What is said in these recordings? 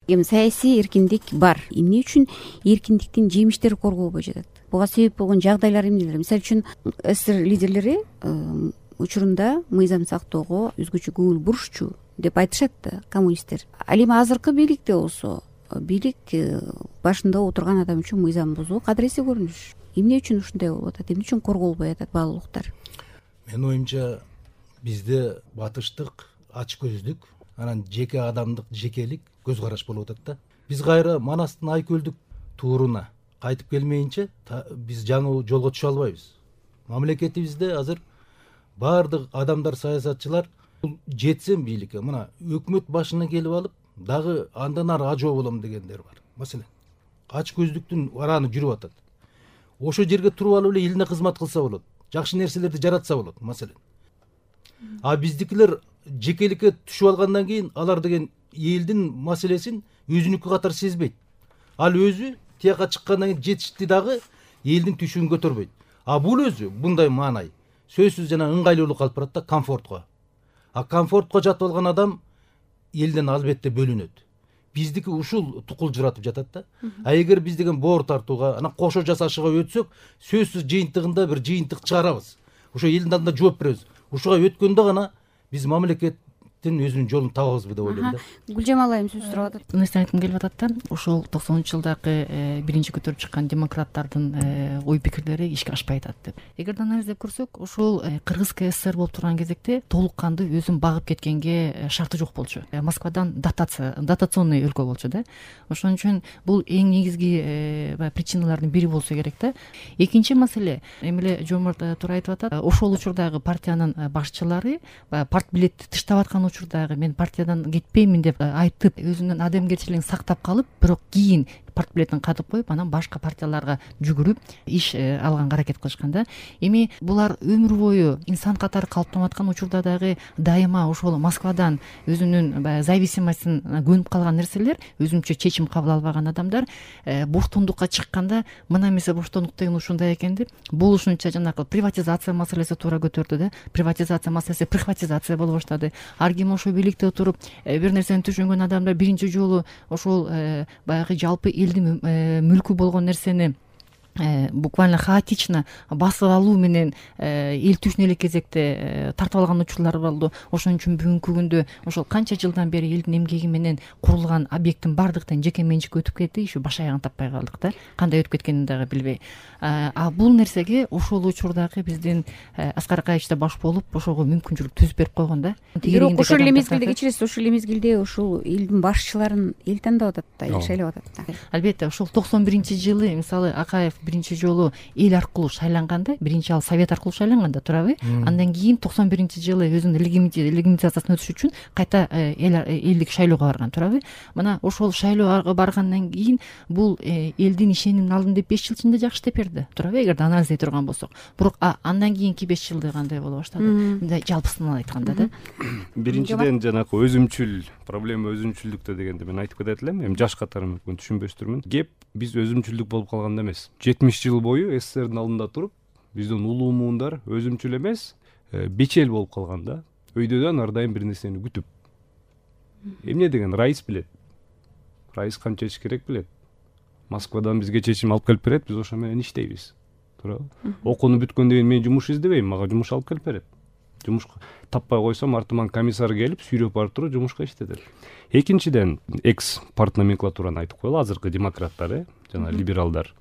эми саясий эркиндик бар. Эмне үчүн эркиндиктин жемиштери корголбой жатат? Буга себеп болгон жагдайлар эмнелер? Мисалы үчүн СССР лидерлери учурунда мыйзам сактоого өзгөчө көңүл бурушчу деп айтышат да коммунисттер. Ал эми азыркы бийликте болсо бийлик башында отурган адам үчүн мыйзам бузуу кадыресе көрүнүш. Эмне үчүн ушундай болуп атат? Эмне үчүн корголбой атат баалуу укуктар? Менин оюмча бизде батыштык, ачкөздүк, анан жеке адамдык, жекелик көз караш болуп атат да. Биз кайра Манастын айкөлдүк тууруна кайтып келмейинче биз жаңы жолго түшө албайбыз. Мамлекетибизде азыр баардык адамдар, саясатчылар жетсем бийликке, мына өкмөт башына келип алып, дагы андан ары ажоо болом дегендер бар. Маселен, ачкөздүктүн араны жүрүп атат. Ошо жерге туруп алып эле элине кызмат кылса болот, жакшы нерселерди жаратса болот, маселен. А биздикилер жекеликке түшүп алгандан кийин алар деген элдин маселесин өзүнүкү катары сезбейт. Ал өзү тияка чыккандан кийин жетишти дагы элдин түшүн көтөрбөйт. А бул өзү мындай маанай сөзсүз жана ыңгайлуулук алып барат да, комфортко. А комфортко жатып алган адам элден албетте бөлүнөт. Биздики ушул тукулжуратып жатат да. А эгер биз деген боор тартууга, анан кошо жасашууга өтсөк, сөзсүз жыйынтыгында бир жыйынтык чыгарабыз. Ошо элдин алдында жооп беребиз. Ушуга өткөндө гана биз мамлекеттин өзүнүн жолун табабызбы деп ойлойм да. Гүлжамал айым сөз сурап атат. Нерсе айткым келип атат да. Ошол 90-жылдагы биринчи көтөрүп чыккан демократтардын ой пикирлери ишке ашпай атат деп. Эгерде анализдеп көрсөк, ошол Кыргыз КСР болуп турган кезекте толук кандуу өзүн багып кеткенге шарты жок болчу. Москвадан дотационный өлкө болчу да. Ошон үчүн бул эң негизги причиналардын бири болсо керек да. Экинчи маселе, эмеле Жомарт туура айтып атат. Ошол учурдагы партиянын башчылары партбилетти тыштап аткан учурдагы мен партиядан кетпеймин деп айтып, өзүнүн адамгерчилигин сактап калып, бирок кийин партбилетин катып коюп, анан башка партияларга жүгүрүп иш алганга аракет кылышкан да. Эми булар өмүр бою инсан катары калыптанып аткан учурда дагы дайыма ошол Москвадан өзүнүн зависимостун көнүп калган нерселер, өзүнчө чечим кабыл албаган адамдар боштондукка чыкканда мына эмесе боштондук деген ушундай экен деп, болушунча жанагы приватизация маселеси туура көтөрдү да. Приватизация маселеси прихватизация боло баштады. Ар ким ошо бийликте отуруп бир нерсени түшүнгөн адамдар биринчи жолу ошол баягы жалпы элдин мүлкү болгон нерсени буквально хаотично басып алуу менен эл түшүнө элек кезекте тартып алган учурлар болду. Ошон үчүн бүгүнкү күндө ошол канча жылдан бери элдин эмгеги менен курулган объекттин бардыктан жеке менчикке өтүп кетти, ушу баш аягын таппай калдык да. Кандай өтүп кеткенин дагы билбей. А бул нерсеге ошол учурдагы биздин Аскар Акаевич да баш болуп, ошого мүмкүнчүлүк түзүп берип койгон да. Бирок ошол эле мезгилде кечиресиз, ошол эле мезгилде ошол элдин башчыларын эл тандап атат да, эл шайлап атат да. Албетте, ошол 91-жылы мисалы Акаев биринчи жолу эл аркылуу шайланганда, биринчи ал совет аркылуу шайланган да, туурабы? Андан кийин 91-жылы өзүнүн легитимизациясын өтүш үчүн кайта элдик шайлоого барган, туурабы? Мына ошол шайлоого баргандан кийин бул элдин ишенимин алдым деп 5 жыл ичинде жакшы иштеп берди, туурабы? Эгерде анализдей турган болсок. Бирок андан кийинки 5 жылды кандай боло баштады? Мындай жалпысынан айтканда да. Биринчиден жанагы өзүмчүл проблема, өзүмчүлдүктө дегенде мен айтып кетет элем. Эми жаш катары мүмкүн түшүнбөстүрмүн. Кеп биз өзүмчүлдүк болуп калганда эмес. 70 жыл бою СССРдин алдында туруп, биздин улуу муундар өзүмчүл эмес, бечел болуп калган да. Өйдөдөн ар дайым бир нерсени күтүп. Эмне деген Раис билет. Раис канча иш керек билет. Москвадан бизге чечим алып келип берет, биз ошо менен иштейбиз. Туурабы? Окууну бүткөндөн кийин мен жумуш издебейм, мага жумуш алып келип берет. Жумуш таппай койсом, артыман комиссар келип сүйрөп барып туруп жумушка иштетет. Экинчиден, экс партноменклатураны айтып коелу, азыркы демократтар, жана либералдар.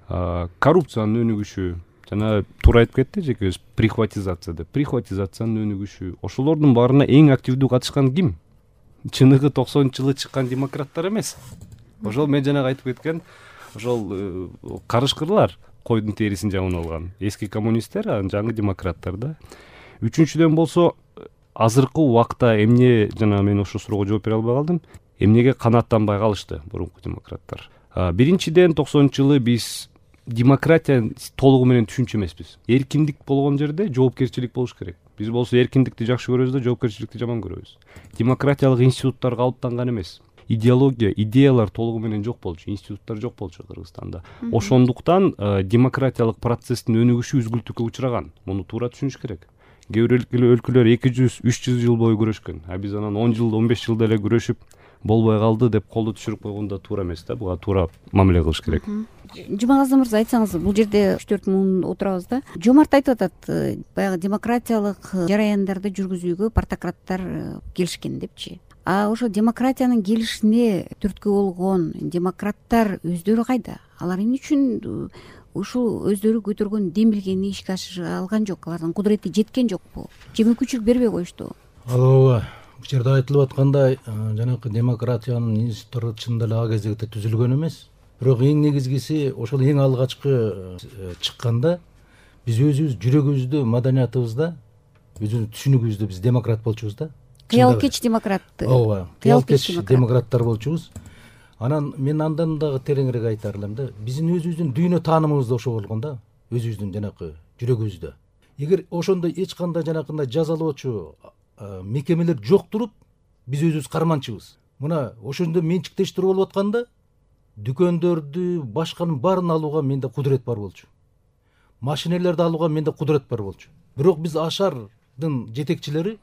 Коррупциянын өнүгүшү, жана туура айтып кетти жеке өз прихватизация деп. Прихватизациянын өнүгүшү, ошолордун баарына эң активдүү катышкан ким? Чыныгы 90-жылы чыккан демократтар эмес. Ошол мен жанагы айтып кеткен ошол карышкырлар, койдун терисин жаман алган эски коммунисттер, жаңы демократтар да. Үчүнчүдөн болсо, азыркы убакта эмне, жана мен ошол суроого жооп бере албай калдым, эмнеге канааттанбай калышты мурунку демократтар? Биринчиден 90-жылы биз демократия толугу менен түшүнчү эмеспиз. Эркиндик болгон жерде жоопкерчилик болуш керек. Биз болсо эркиндикти жакшы көрөбүз да, жоопкерчиликти жаман көрөбүз. Демократиялык институттар калыптанган эмес. Идеология, идеялар толугу менен жок болчу, институттар жок болчу Кыргызстанда. Ошондуктан демократиялык процесстин өнүгүшү үзгүлтүккө учураган. Муну туура түшүнүш керек. Кээ бир өлкөлөр 200-300 жыл бою күрөшкөн. А биз анан 10 жыл, 15 жылда эле күрөшүп, болбой калды деп колду түшүрүп койгон да туура эмес да, буга туура мамиле кылыш керек. Жумагазы мырза, айтсаңыз, бул жерде 3-4 муун отурабыз да. Жомарт айтып атат, баягы демократиялык жараяндарды жүргүзүүгө партократтар келишкен депчи. А ошо демократиянын келишине түрткү болгон демократтар өздөрү кайда? Алар эмне үчүн ушул өздөрү көтөргөн демилгени ишке ашыра алган жок? Алардын кудурети жеткен жокпу? Же мүмкүнчүлүк бербей коюшту? Ооба, бул жерде айтылып аткандай, жанагы демократиянын институттары чындап эле ага кезекте түзүлгөн эмес. Бирок эң негизгиси ошол эң алгачкы чыкканда биз өзүбүз жүрөгүбүздө, маданиятыбызда, өзүбүздүн түшүнүгүбүздө биз демократ болчубуз да. Кыялкеч демократ. Ооба, кыялкеч демократтар болчубуз. Анан мен андан дагы тереңирээк айтар элем да, биздин өзүбүздүн дүйнө таанымыбыз да ошо болгон да, өзүбүздүн жанакы жүрөгүбүздө. Эгер ошондой эч кандай жанакындай жазалоочу мекемелер жок туруп, биз өзүбүз карманчыбыз. Мына ошондо менчиктештирүү болуп атканда дүкөндөрдү, башканын баарын алууга менде кудурет бар болчу. Машинелерди алууга менде кудурет бар болчу. Бирок биз ашардын жетекчилери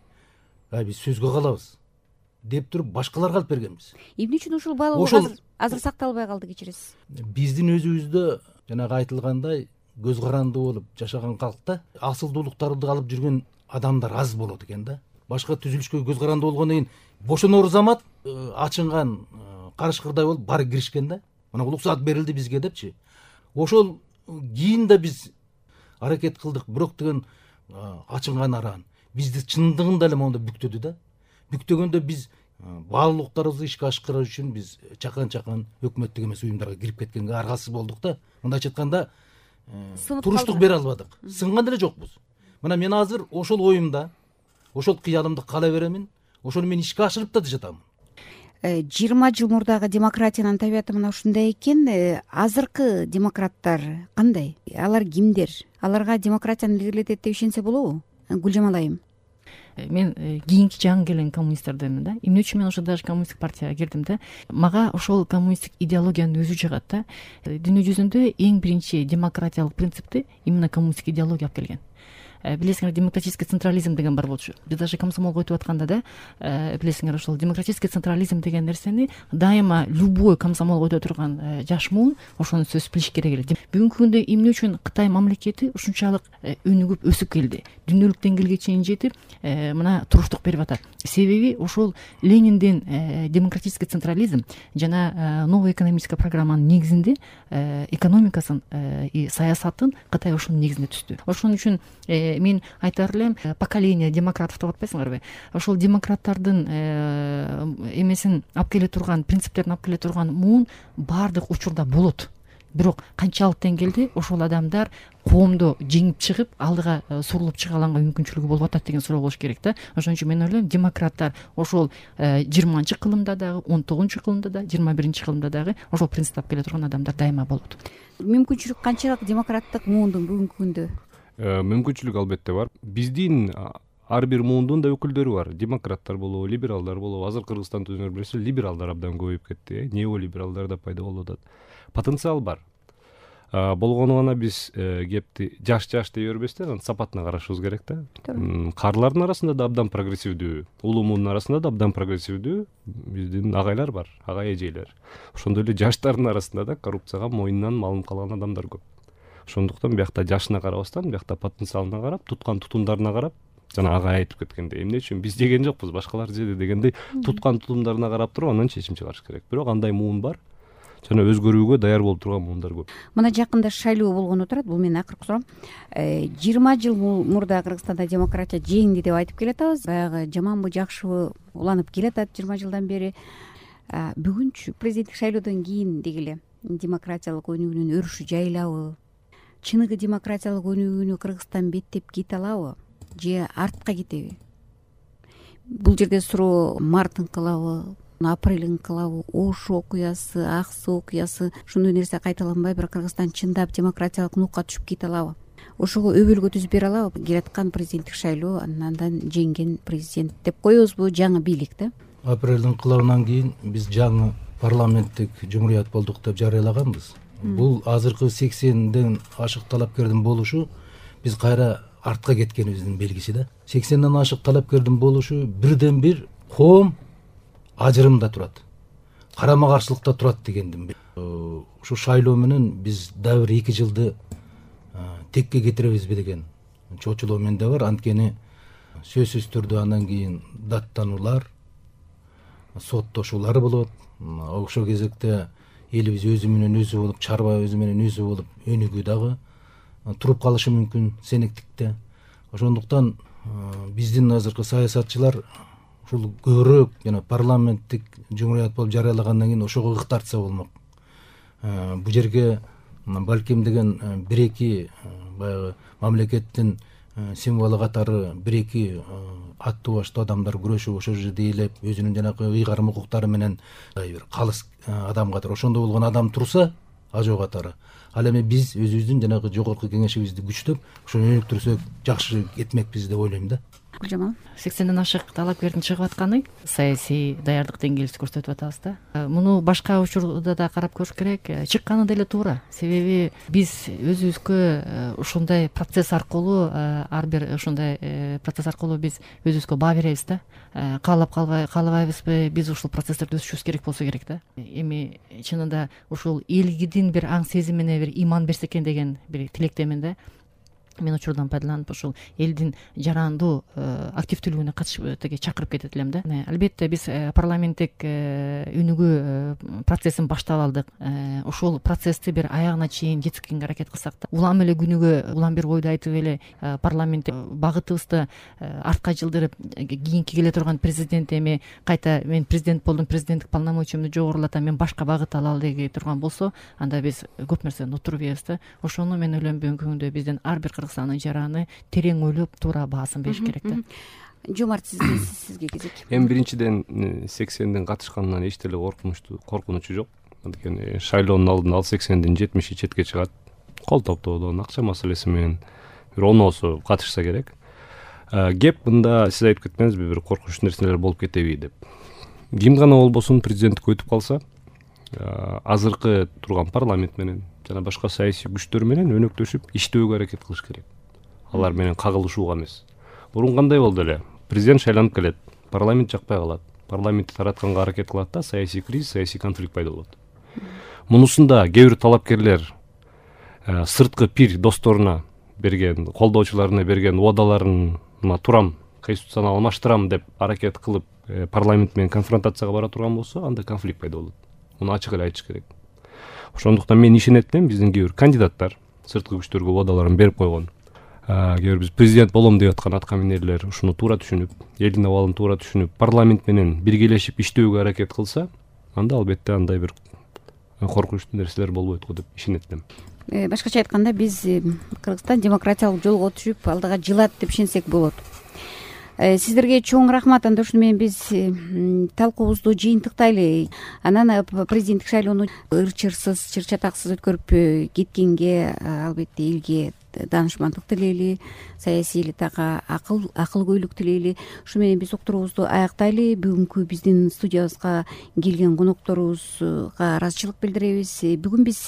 биз сөзгө калабыз деп туруп башкаларга алып бергенбиз. Эмне үчүн ушул баалоо азыр сакталбай калды, кечиресиз? Биздин өзүбүздө жанагы айтылгандай көз каранды болуп жашаган калкта асылдуулуктарды алып жүргөн адамдар аз болот экен да. Башка түзүлүшкө көз каранды болгондон кийин бошонор замат ачынган карышкырдай болуп баары киришкен да. Мына уруксаат берилди бизге депчи. Ошол кийин да биз аракет кылдык, бирок деген ачынган араан бизди чындыгында эле монда бүктөдү да. Бүктөгөндө биз баалуулуктарыбызды ишке ашкыруу үчүн биз чакан өкмөттүк эмес уюмдарга кирип кеткенге аргасыз болдук да. Мындайча айтканда туруштук бере албадык, сынган деле жокпуз. Мына мен азыр ошол оюмда, ошол кыялымды кала беремин, ошону мен ишке ашырып да жатамын. 20 жыл мурдагы демократиянын табияты мына ушундай экен. Азыркы демократтар кандай? Алар кимдер? Аларга демократияны илгертет деп ишенсе болобу? Гүлжамал айым. Мен кийинки жаңы келген коммунисттерденмин да. Эмне үчүн мен ошо даже коммунисттик партияга кирдим да. Мага ошол коммунисттик идеологиянын өзү жагат да. Дүйнө жүзүндө эң биринчи демократиялык принципти именно коммунисттик идеология алып келген. Билесиңер, демократический централизм деген бар болчу. Биз даже комсомолго өтүп атканда да, билесиңер, ошол демократический централизм деген нерсени дайыма любой комсомолго өтө турган жаш муун ошону сөз билиш керек эле. Бүгүнкү күндө эмне үчүн Кытай мамлекети ушунчалык өнүгүп өсүп келди, дүйнөлүк деңгээлге чейин жетип, мына туруштук берип атат? Себеби ошол Лениндин демократический централизм жана новая экономическая программанын негизинде экономикасын и саясатын Кытай ошонун негизинде түздү. Ошон үчүн мен айтар элем, поколение демократов деп атпайсыңарбы? Ошол демократтардын эмесин алып келе турган, принциптерин алып келе турган муун баардык учурда болот. Бирок канчалык деңгээлде ошол адамдар коомдо жеңип чыгып, алдыга сурулуп чыга алганга мүмкүнчүлүгү болуп атат деген суроо болуш керек да. Ошон үчүн мен ойлойм, демократтар ошол 20-кылымда дагы, 19-кылымда да, 21-кылымда дагы ошол принципти алып келе турган адамдар дайыма болот. Мүмкүнчүлүк канчалык демократтык муундун бүгүнкү күндө? Мүмкүнчүлүк албетте бар. Биздин ар бир муундун да өкүлдөрү бар. Демократтар болобу, либералдар болобу. Азыр Кыргызстанда өзүңөр билесиз, либералдар абдан көбөйүп кетти, неолибералдар да пайда болуп атат. Потенциал бар. Болгону гана биз кепти жаш дей бербестен, сапатына карашыбыз керек да. Карлардын арасында да абдан прогрессивдүү, улуу муундун арасында да абдан прогрессивдүү биздин агайлар бар, агай эжелер. Ошондой эле жаштардын арасында да коррупцияга мойнунан малынып калган адамдар көп. Ошондуктан биякта жашына карабастан, биякта потенциалына карап, туткан тутумдарына карап, жана агай айтып кеткендей, эмне үчүн биз жеген жокпуз, башкалар жеди дегендей, туткан тутумдарына карап туруп анан чечим чыгарыш керек. Бирок андай муун бар, жана өзгөрүүгө даяр болуп турган муундар көп. Мына жакында шайлоо болгону турат, бул менин акыркы суроом. 20 жыл мурда Кыргызстанда демократия жеңди деп айтып келатабыз. Баягы жаманбы, жакшыбы уланып келатат 20 жылдан бери. Бүгүнчү президенттик шайлоодон кийин дегиле демократиялык өнүгүүнүн өрүшү жайылабы? Чыныгы демократиялык өнүгүүнү Кыргызстан беттеп кете алабы же артка кетеби? Бул жерде суроо март ыңкылабы, апрель ыңкылабы, Ош окуясы, ак суу окуясы, ушундай нерсе кайталанбай бир Кыргызстан чындап демократиялык нукка түшүп кете алабы? Ошого өбөлгө түзүп бере алабы? Келаткан президенттик шайлоо, андан жеңген президент деп коебузбу, жаңы бийлик да? Апрель ыңкылабынан кийин биз жаңы парламенттик жумурият болдук деп жарыялаганбыз. Бул азыркы 80ден ашык талапкердин болушу биз кайра артка кеткенибиздин белгиси да. 80ден ашык талапкердин болушу бирден бир коом ажырымда турат. карама каршылыкта турат дегендин. Ушу шайлоо менен биз дагы бир 2 жылды текке кетиребизби деген чочулоо менде бар. Анткени сөзсүз түрдө андан кийин даттануулар, соттошуулар болот. Ошол кезекте элибиз өзү менен өзү болуп, чарба өзү менен өзү болуп өнүгүү дагы туруп калышы мүмкүн сенектикте. Ошондуктан биздин азыркы саясатчылар ушул көбүрөөк жана парламенттик жумурият болуп жарыялагандан кийин ошого ык тартса болмок. Бул жерге балким деген 1-2 баягы мамлекеттин символу катары 1-2 аттуу баштуу адамдар күрөшүп ошол жерде ээлеп өзүнүн жанагы ыйгарым укуктары менен бир калыс адам катары ошондой болгон адам турса ажоо катары. Ал эми биз өзүбүздүн жанагы жогорку кеңешибизди күчтөп ошону өнүктүрсөк жакшы кетмекпиз деп ойлойм да. Гүлжамал, 80ден ашык талапкердин чыгып атканы саясий даярдык деңгээлибизди көрсөтүп атабыз да. Муну башка учурда да карап көрүш керек. Чыкканы деле туура. Себеби биз өзүбүзгө ушундай процесс аркылуу ар бир ушундай процесс аркылуу биз өзүбүзгө баа беребиз да. Каалап каалабайбызбы, биз ушул процесстерди өсүрүшүбүз керек болсо керек да. Эми чынында ушул элгидин бир аң сезимине бир иман берсе экен деген бир тилектемин да. Мен учурдан пайдаланып ушул элдин жарандуу активдүүлүгүнө катышып теге чакырып кетет элем да. Албетте биз парламенттик өнүгүү процессин баштап алдык. Ошол процессти бир аягына чейин жеткизгенге аракет кылсак да, улам эле күнүгө улам бир ойду айтып эле парламенттик багытыбызды артка жылдырып, кийинки келе турган президент эми кайта мен президент болдум, президенттик полномочиямды жогорулатам, мен башка багыт алалы деги турган болсо, анда биз көп нерсени утуруп ийбиз да. Ошону мен ойлойм бүгүнкү күндө биздин ар бир Кыргызстандын жараны терең ойлоп туура баасын бериш керек да. Жомарт, сизге кезек. Эми биринчиден 80ден катышканынан эч деле коркунучу жок. Анткени шайлоонун алдында ал 80дин 70 четке чыгат. Кол топтоодон акча маселеси менен бир оноосу катышса керек. Кеп мында сиз айтып кетпеңизби, бир коркунуч нерселер болуп кетеби деп. Ким гана болбосун президенттикке өтүп калса, азыркы турган парламент менен жана башка саясий күчтөр менен өнөктөшүп иштөөгө аракет кылыш керек. Алар менен кагылышууга эмес. Мурун кандай болду эле? Президент шайланып келет, парламент жакпай калат. Парламентти таратканга аракет кылат да, саясий кризис, саясий конфликт пайда болот. Мунусунда кээ бир талапкерлер сырткы пир досторуна берген, колдоочуларына берген убадаларына турам, конституцияны алмаштырам деп аракет кылып парламент менен конфронтацияга бара турган болсо, анда конфликт пайда болот. Муну ачык эле айтыш керек. Ошондуктан мен ишенет элем, биздин кээ бир кандидаттар сырткы күчтөргө убадаларын берип койгон. Кээ бир биз президент болом деп аткан аткаминерлер ушуну туура түшүнүп, элдин абалын туура түшүнүп, парламент менен биргелешип иштөөгө аракет кылса, анда албетте андай бир коркунучтуу нерселер болбойт го деп ишенет элем. Башкача айтканда, биз Кыргызстан демократиялык жолго түшүп, алдыга жылат деп ишенсек болот. Сиздерге чоң рахмат. Анда ушуну менен биз талкуубузду жыйынтыктайлы. Анан президенттик шайлоону ырчырсыз, чыр-чатаксыз өткөрүп кеткенге албетте элге даанышмандык тилейли, саясий элитага акылгөйлүк тилейли. Ушу менен биз уктуруубузду аяктайлы. Бүгүнкү биздин студиябызга келген конокторубузга ыраазычылык билдиребиз. Бүгүн биз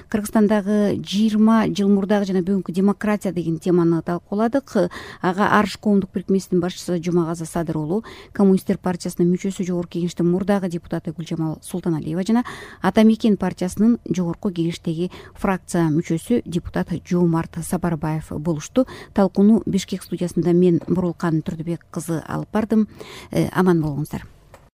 Кыргызстандагы 20 жыл мурдагы жана бүгүнкү демократия деген теманы талкууладык. Ага Арыш коомдук бирикмесинин башчысы Жумагаза Садыр уулу, Коммунисттер партиясынын мүчөсү, жогорку кеңештин мурдагы депутаты Гүлжамал Султаналиева жана Ата Мекен партиясынын жогорку кеңештеги фракция мүчөсү депутат Жомарт Сапарбаев болушту. Талкууну Бишкек студиясында мен Бурулкан Түрдүбек кызы алып бардым. Аман болуңуздар.